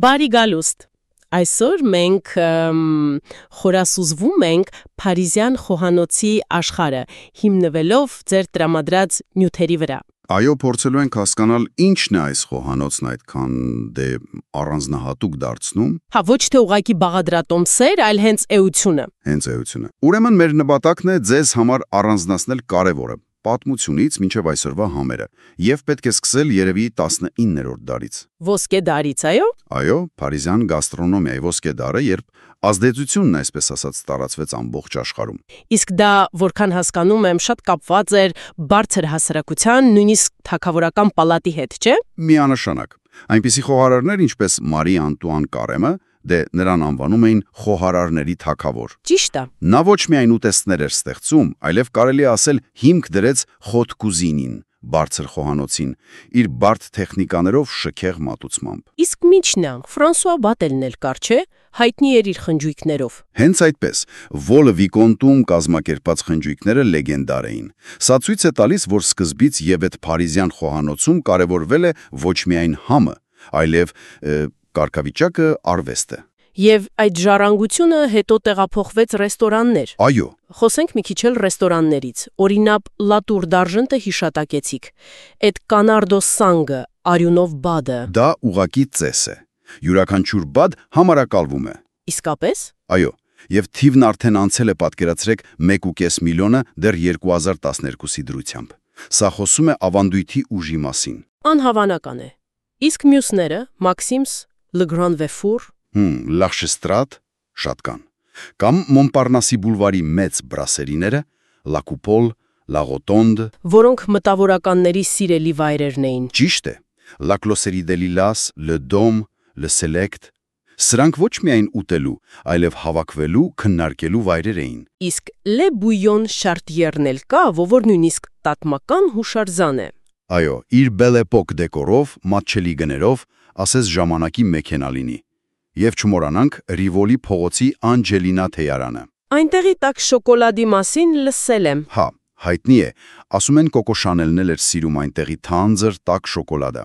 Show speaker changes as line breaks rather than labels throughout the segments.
Բարի գալուստ։ Այսօր մենք խորասուզվում ենք Փարիզյան խոհանոցի աշխարհը, հիմնվելով ձեր տրամադրած նյութերի վրա։
Այո, փորձելու ենք հասկանալ ինչն է այս խոհանոցն այդքան առանձնահատուկ դարձնում։
Հա, ոչ թե ուղղակի բաղադրատոմսեր, այլ հենց էությունը։
Հենց էությունը։ Ուրեմն մեր նպատակն է ձեզ համար առանձնացնել կարևորը՝ պատմությունից մինչև այսօրվա համերը, եւ պետք է սկսել երևի 19-րդ դարից։
Ոսկե դարից, այո։
Այո, Փարիզյան գաստրոնոմիայի ոսկե դարը, երբ ազդեցությունն, այսպես ասած, տարածվեց ամբողջ աշխարհում։
Իսկ դա, որքան հասկանում եմ, շատ կապված էր բարձր հասարակության, նույնիսկ թագավորական պալատի հետ, չէ՞։
Միանշանակ։ Այնպիսի խոհարարներ, ինչպես Մարի Անտուան Կարեմը, նրան անվանում էին խոհարարների թագավոր։
Ճիշտ է։
Նա ոչ միայն ուտեստներ էր ստեղծում, այլև կարելի է ասել հիմք դրեց խոտ կուզինին, բարձր խոհանոցին, իր բարդ տեխնիկաներով շքեղ մատուցմամբ։
Իսկ միջն է, Ֆրանսուଆ Բատելն էլ կար, չէ՞, հայտնի էր իր խնջույքներով։
Հենց այդպես, Վոլը Վիկոնտում կազմակերպած խնջույքները լեգենդար էին։ Սա ցույց է տալիս, որ սկզբից եւ այդ Փարիզյան խոհանոցում կարևորվել է ոչ միայն համը, այլև կարգավիճակը, արվեստը։
Եվ այդ ժառանգությունը հետո տեղափոխվեց ռեստորաններ։
Այո։
Խոսենք մի քիչ էլ ռեստորաններից։ Օրինակ, Լատուր դարժենտը հիշատակեցիք։ Այդ կանարդո սանգը, արյունով բադը։
Դա ուղակի ծես է։ Յուրաքանչյուր բադ համարակալվում է։
Իսկապես։
Այո։ Եվ թիվն արդեն անցել է, պատկերացրեք, 1.5 միլիոնը դեռ 2012-ի դրությամբ։ Սա խոսում է ավանդույթի ուժի մասին։
Անհավանական է։ Իսկ մյուսները՝ Մաքսիմս, Le Grand Véfour,
L'Archestrate, շատ կան։ Կամ Մոնպարնասի բուլվարի մեծ բրասերիները, La Coupole, La Rotonde,
որոնք մտավորականների սիրելի վայրերն էին։
Ճիշտ է։ La Closerie de Lilas, Le Dôme, Le Select, սրանք ոչ միայն ուտելու, այլև հավաքվելու, քննարկելու վայրեր էին։
Իսկ Le Bouillon Chartier-ն էլ կա, որ նույնիսկ պատմական հուշարձան է։
Այո, իր Belle Époque դեկորով, մատչելի գներով, ասես ժամանակի մեքենա լինի։ Եվ չմոռանանք Ռիվոլի փողոցի Անջելինա թեյարանը։
Այնտեղի տաք շոկոլադի մասին լսել եմ։
Հա, հայտնի է, ասում են Կոկո Շանելն էլ էր սիրում այնտեղի թանձր տաք շոկոլադը։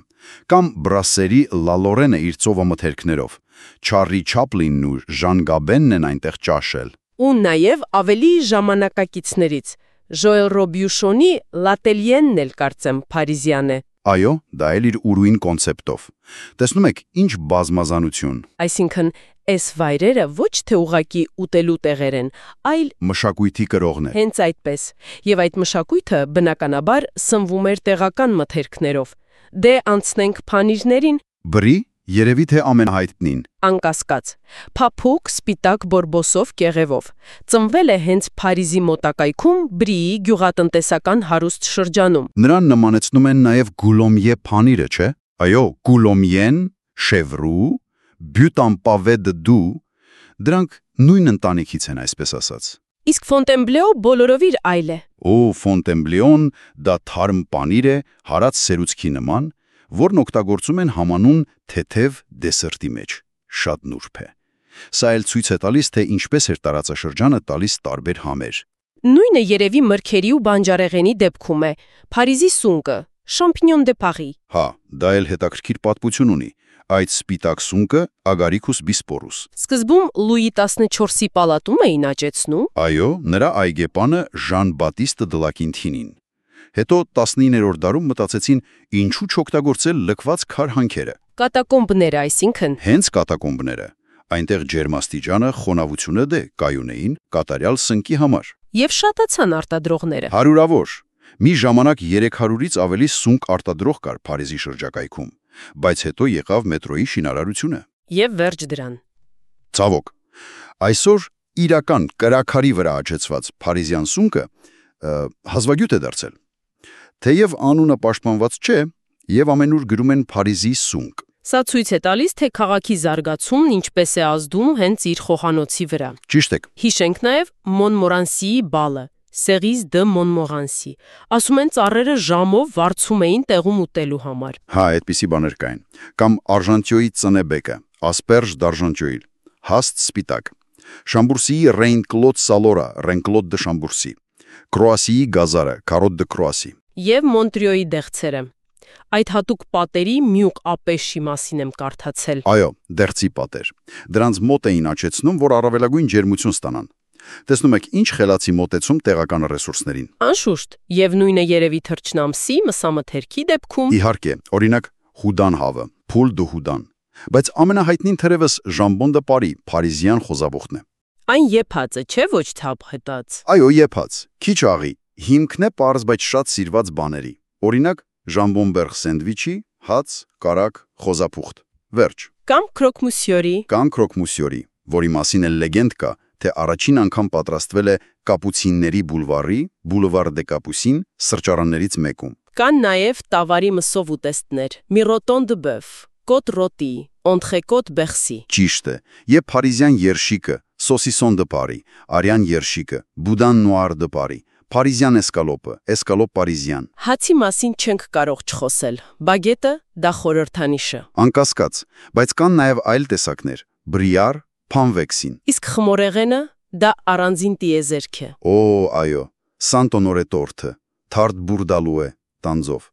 Կամ Բրասերի Լա Լորենը իր ծովամթերքներով։ Չարլի Չապլինն ու Ժան Գաբենն են այնտեղ ճաշել։
Ու նաև ավելի ժամանակակիցներից Ժոել Ռոբյուշոնի Լատելիենն էլ կարծեմ Փարիզյան է։
Այո, դա էլ իր ուրույն կոնցեպտով։ Տեսնում եք, ինչ բազմազանություն։
Այսինքն, այս վայրերը ոչ թե ուղակի ուտելու տեղեր են, այլ
մշակույթի կրողներ։
Հենց այդպես։ Եվ այդ մշակույթը բնականաբար սնվում էր տեղական մթերքներով։ Դե անցնենք փանիրներին։
Բրի, երևի թե ամենահայտնին։
Անկասկած։ Փափուկ սպիտակ բորբոսով կեղևով։ Ծնվել է հենց Փարիզի մոտակայքում Բրիի գյուղատնտեսական հարուստ շրջանում։
Նրան նմանեցնում են նաև Գուլոմիե փանիրը, չէ՞։ Այո, Գուլոմիեն, Շևրու, Բյուտամպավե դու, դրանք նույն ընտանիքից են, այսպես ասած։
Իսկ Ֆոնտենբլեո բոլորովին այլ է։
Ֆոնտենբլեոն դա թարմ պանիր է, հարած սերուցքի նման, որն օգտագործում են համանուն թեթև դեսերտի մեջ։ Շատ նուրբ է։ Սա էլ ցույց է տալիս, թե ինչպես էր տարածաշրջանը տալիս տարբեր համեր։
Նույնը երևի մրգերի ու բանջարեղենի դեպքում է։ Փարիզի սունկը, Champignon de Paris։
Հա, դա էլ հետաքրքիր պատմություն ունի։ Այդ սպիտակ սունկը Ագարիքուս Բիսպորուս։
Սկզբում Լուի 14-ի պալատում էին աճեցնում։
Այո, նրա այգեպանը Ժան Բատիստը Դլակինթինին։ Հետո 19-րդ դարում մտածեցին, ինչու չօգտագործել լքված քար հանքերը։
Կատակոմբները, այսինքն։
Հենց կատակոմբները։ Այնտեղ ջերմաստիճանը, խոնավությունը կայունեին կատարյալ սնկի համար։
Եվ շատացան արտադրողները։
Հարյուրավոր։ Մի ժամանակ 300-ից ավելի սունկ արտադրող կար Փարիզի շրջակայքում, բայց հետո եղավ մետրոյի շինարարությունը։
Եվ վերջ դրան։
Ցավոք, այսօր իրական կրաքարի վրա աճեցված Փարիզյան սունկը հազվագյուտ է դարձել։ Թեև անունը պաշտպանված չէ, եւ ամենուր գրում են Փարիզի սունկ։
Սա ցույց է տալիս, թե քաղաքի զարգացումն ինչպես է ազդում հենց իր խոհանոցի վրա։
Ճիշտ եք։
Հիշենք նաև Մոնմորանսիի բալը, Cerise de Montmorency։ Ասում են ծառերը ժամով վարձում էին տեղում ուտելու համար։
Հա, այդպիսի բաներ կային։ Կամ Արժանտյոյի ծնեբեկը, Asperge d'Argenteuil, հաստ սպիտակ։ Շամբուրսիի Ռեյն-Կլոդ Սալորա, Ռեն-Կլոդ դե Շամբուրսի։ Կրոասիի գազարը, Carotte de Croatie։
Եվ Մոնտրյոյի դեղցերը։ Այդ հատուկ պատերի մյուկ ապեշի մասին եմ կարդացել։
Այո, դերձի պատեր։ Դրանց մոտ էին աճեցնում, որ առավելագույն ջերմություն ստանան։ Տեսնում եք, ինչ խելացի մոտեցում տեղական ռեսուրսներին։
Անշուշտ, եւ նույնը երևի թռչնամսի, մսամթերքի դեպքում։
Իհարկե, օրինակ հուդան հավը, փուլ դու հուդան։ Բայց ամենահայտնին թերևս Ժամբոն դը Պարի, փարիզյան խոզաբուխն է։
Այն եփածը չէ, ոչ թափ հետած։
Այո, եփած, քիչ աղի, հիմքն է պարզ, բայց շատ սիրված բաների։ Օրինակ, ժամբոնբերղ սենդվիչի, հաց, կարակ, խոզապուխտ։ Վերջ։
Կամ քրոկմուսյորի։
Կամ քրոկմուսյորի, որի մասին էլ լեգենդ կա, թե առաջին անգամ պատրաստվել է կապուցինների բուլվարի, Boulevard des Capucines, սրճարաններից մեկում։
Կան նաև տավարի մսով ուտեստներ՝ Miroton de Boeuf, Côte Rôti, Entrecôte Bercy։
Ճիշտ է, եւ փարիզյան երշիկը, Saucisson de Paris, արյան երշիկը, Boudin noir de Paris, Փարիզյան էսկալոպը, էսկալոպ պարիզյան։
Հացի մասին չենք կարող չխոսել։ Բագետը դա խորհրդանիշը։
Անկասկած, բայց կան նաև այլ տեսակներ՝ բրիար, փանվեքսին։
Իսկ խմորեղենը դա առանձին տիեզերք է։
Օ, այո, Սանտոնորե տորթը, Թարդ բուրդալուե, տանձով,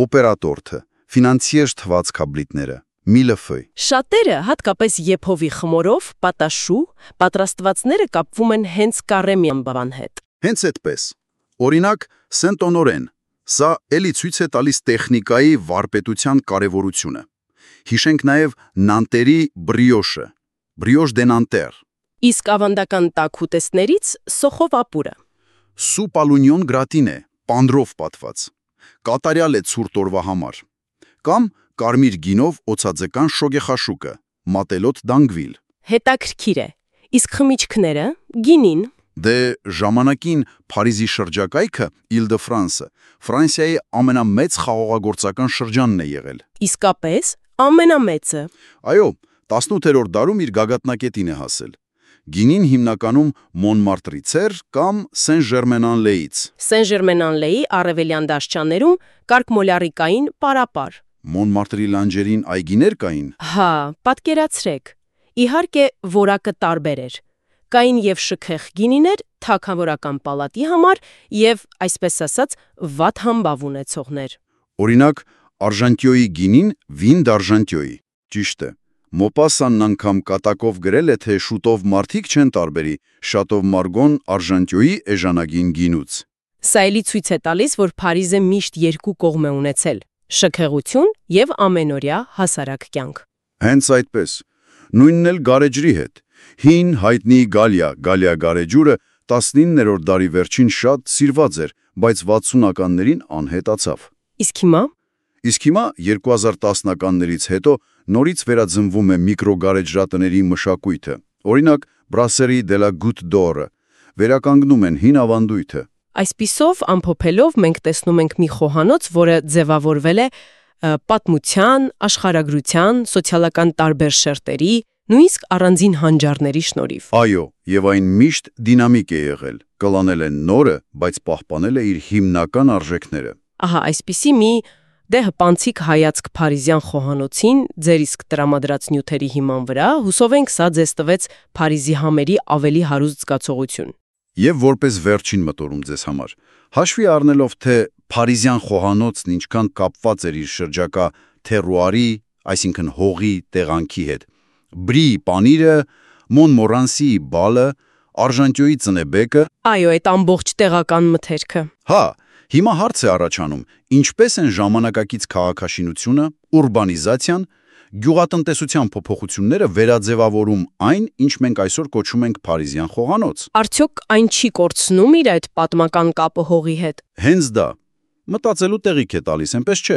օպերատորթը, ֆինանսիեր թված կաբլիտները, միլեֆոյ։
Շատերը, հատկապես եփովի խմորով, պատաշու, պատրաստվածները կապվում են հենց կարեմյան բան հետ։
Հենց այդպես։ Օրինակ, Սենտ-Օնորեն, սա էլի ցույց է տալիս տեխնիկայի վարպետության կարևորությունը։ Հիշենք նաև Նանտերի բրիոշը, Brioche de Nanterre,
Իսկ ավանդական տաք ուտեստներից սոխով ապուրը։
Սուպալունյոն գրատին է, պանդրով պատված։ Կատարյալ է ցուրտ օրվա համար։ Կամ կարմիր գինով օծաձեկան շոգեխաշուկը, Մատելոտ դանգվիլ։
Հետաքրքիր է։ Իսկ խմիչքները, գինին։
Դե ժամանակին Փարիզի շրջակայքը Île-de-France-ը Ֆրանսիայի ամենամեծ խաղողագործական շրջանն է եղել։
Իսկապես ամենամեծը։
Այո, 18-րդ դարում իր գագաթնակետին է հասել։ Գինին հիմնականում Մոնմարտրից էր կամ Սեն-Ժերմեն-Ան-Լեից։
Սեն-Ժերմեն-Ան-Լեի արևելյան դաշճաններում կարգմոլարիկային պարապար։
Մոնմարտրի լանջերին այգիներ կային։
Հա, պատկերացրեք։ Իհարկե, որակը տարբեր էր։ Կային եւ շքեղ գինիներ թագավորական պալատի համար եւ, այսպես ասած, վատ համբավ ունեցողներ։
Օրինակ, Արժանտիոյի գինին վին դ'Արժանտիոյի։ Ճիշտ է։ Մոպասանն անգամ կատակով գրել է, թե շուտով մարդիկ չեն տարբերի Շատով Մարգոն Արժանտիոյի էժանագին գինուց։
Սա էլի ցույց է տալիս, որ Փարիզը միշտ երկու կողմ է ունեցել՝ շքեղություն եւ ամենօրյա հասարակ կյանք։
Հենց այդպես։ Նույնն էլ գարեջրի հետ։ Հին հայտնի Գալիա գարեջուրը 19-րդ դարի վերջին շատ սիրված էր, բայց 60-ականներին անհետացավ։
Իսկ հիմա
2010-ականներից հետո նորից վերաձնվում է միկրոգարեջրատների մշակույթը։ Օրինակ, Brasserie de la Goutte d'Or-ը վերականգնում են հին ավանդույթը։
Այսպիսով, ամփոփելով մենք տեսնում ենք մի խոհանոց, որը ձևավորվել է պատմության, աշխարհագրության, սոցիալական տարբեր շերտերի, նույնիսկ առանձին հանճարների շնորհիվ։
Այո, եւ այն միշտ դինամիկ է եղել, կլանել է նորը, բայց պահպանել է իր հիմնական արժեքները։
Ահա, այսպիսի մի հպանցիկ հայացք Փարիզյան խոհանոցին ձեր իսկ տրամադրած նյութերի հիման վրա, հուսով ենք սա ձեզ տվեց Փարիզի համերի ավելի հարուստ զգացողություն։
Եվ որպես վերջին մտորում ձեզ համար, հաշվի առնելով, թե Փարիզյան խոհանոցն ինչքան կապված էր իր շրջակա թերուարի, այսինքն հողի տեղանքի հետ, Բրի պանիրը, Մոնմորանսիի բալը, Արժանտիոյի ծնեբեկը։
Այո, այդ ամբողջ տեղական մթերքը։
Հա, հիմա հարց է առաջանում, ինչպես են ժամանակակից քաղաքաշինությունը, ուրբանիզացիան, գյուղատնտեսության փոփոխությունները վերաձևավորում այն, ինչ մենք այսօր կոչում ենք Փարիզյան խոհանոց։
Արդյոք այն չի կորցնում իր այդ պատմական կապը հողի հետ։
Հենց դա։ Մտածելու տեղիք է տալիս, այնպես չէ։